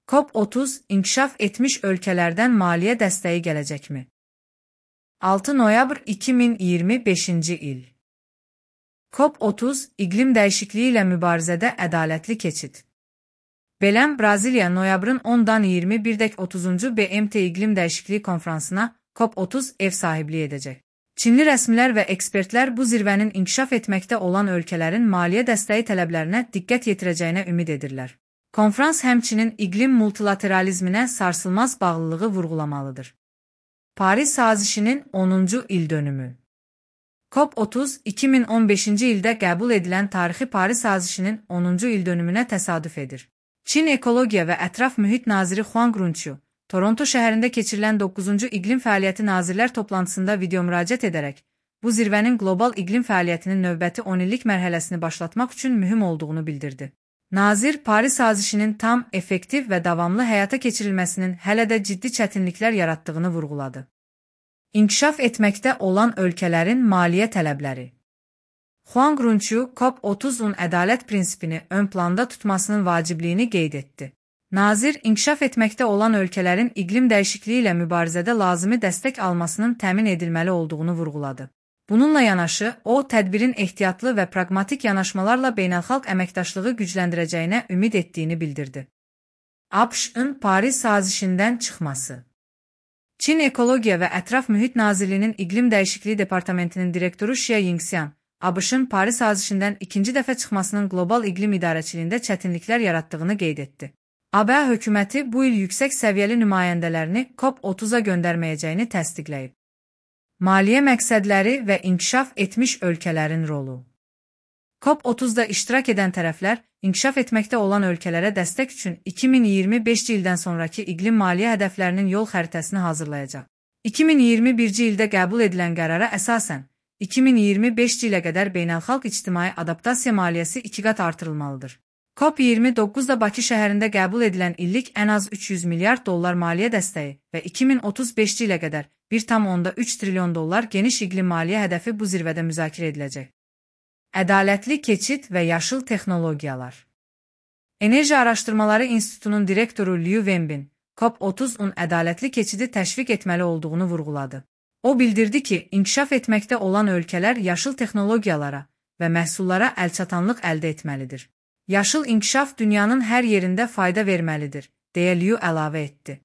COP30 inkişaf etmiş ölkələrdən maliyyə dəstəyi gələcəkmi? 6 noyabr 2025 il. COP30 iqlim dəyişikliyi ilə mübarizədə ədalətli keçid. Beləm Braziliya noyabrın 10-dan 21-30 BMT iqlim dəyişikliyi konfransına COP30 ev sahibliyi edəcək. Çinli rəsmilər və ekspertlər bu zirvənin inkişaf etməkdə olan ölkələrin maliyyə dəstəyi tələblərinə diqqət yetirəcəyinə ümid edirlər. Konfrans həmçinin iqlim multilateralizminə sarsılmaz bağlılığı vurğulamalıdır. Paris sazişinin 10-cu ildönümü. COP30 2015-ci ildə qəbul edilən tarixi Paris sazişinin 10-cu ildönümünə təsadüf edir. Çin Ekologiya və Ətraf Mühit naziri Huang Runqiu, Toronto şəhərində keçirilən 9-cu İqlim Fəaliyyəti Nazirlər toplantısında video müraciət edərək, bu zirvənin qlobal iqlim fəaliyyətinin növbəti 10 illik mərhələsini başlatmaq üçün mühüm olduğunu bildirdi. Nazir, Paris sazişinin tam, effektiv və davamlı həyata keçirilməsinin hələ də ciddi çətinliklər yaratdığını vurğuladı. İnkişaf etməkdə olan ölkələrin maliyyə tələbləri. Huang Runqiu, COP30-un ədalət prinsipini ön planda tutmasının vacibliyini qeyd etdi. Nazir, inkişaf etməkdə olan ölkələrin iqlim dəyişikliyi ilə mübarizədə lazımi dəstək almasının təmin edilməli olduğunu vurğuladı. Bununla yanaşı, o, tədbirin ehtiyatlı və praqmatik yanaşmalarla beynəlxalq əməkdaşlığı gücləndirəcəyinə ümid etdiyini bildirdi. ABŞ-ın Paris sazişindən çıxması. Çin Ekologiya və Ətraf Mühit Nazirliyinin İqlim Dəyişikliyi Departamentinin direktoru Xia Yingxian, ABŞ-ın Paris sazişindən ikinci dəfə çıxmasının qlobal iqlim idarəçiliyində çətinliklər yaratdığını qeyd etdi. ABŞ hökuməti bu il yüksək səviyyəli nümayəndələrini COP30-a göndərməyəcəyini təsdiqləyib. Maliyyə məqsədləri və inkişaf etmiş ölkələrin rolu. COP30-da iştirak edən tərəflər, inkişaf etməkdə olan ölkələrə dəstək üçün 2025-ci ildən sonraki iqlim maliyyə hədəflərinin yol xəritəsini hazırlayacaq. 2021-ci ildə qəbul edilən qərara əsasən, 2025-ci ilə qədər beynəlxalq ictimai adaptasiya maliyyəsi 2 qat artırılmalıdır. COP29-da Bakı şəhərində qəbul edilən illik ən az $300 milyard maliyyə dəstəyi və 2035-ci ilə qədər $1,3 trilyon geniş iqlim maliyyə hədəfi bu zirvədə müzakirə ediləcək. Ədalətli keçid və yaşıl texnologiyalar. Enerji Araşdırmaları İnstitutunun direktoru Liu Wenbin, COP30-un ədalətli keçidi təşviq etməli olduğunu vurğuladı. O bildirdi ki, inkişaf etməkdə olan ölkələr yaşıl texnologiyalara və məhsullara əlçatanlıq əldə etməlidir. Yaşıl inkişaf dünyanın hər yerində fayda verməlidir, deyə Liu əlavə etdi.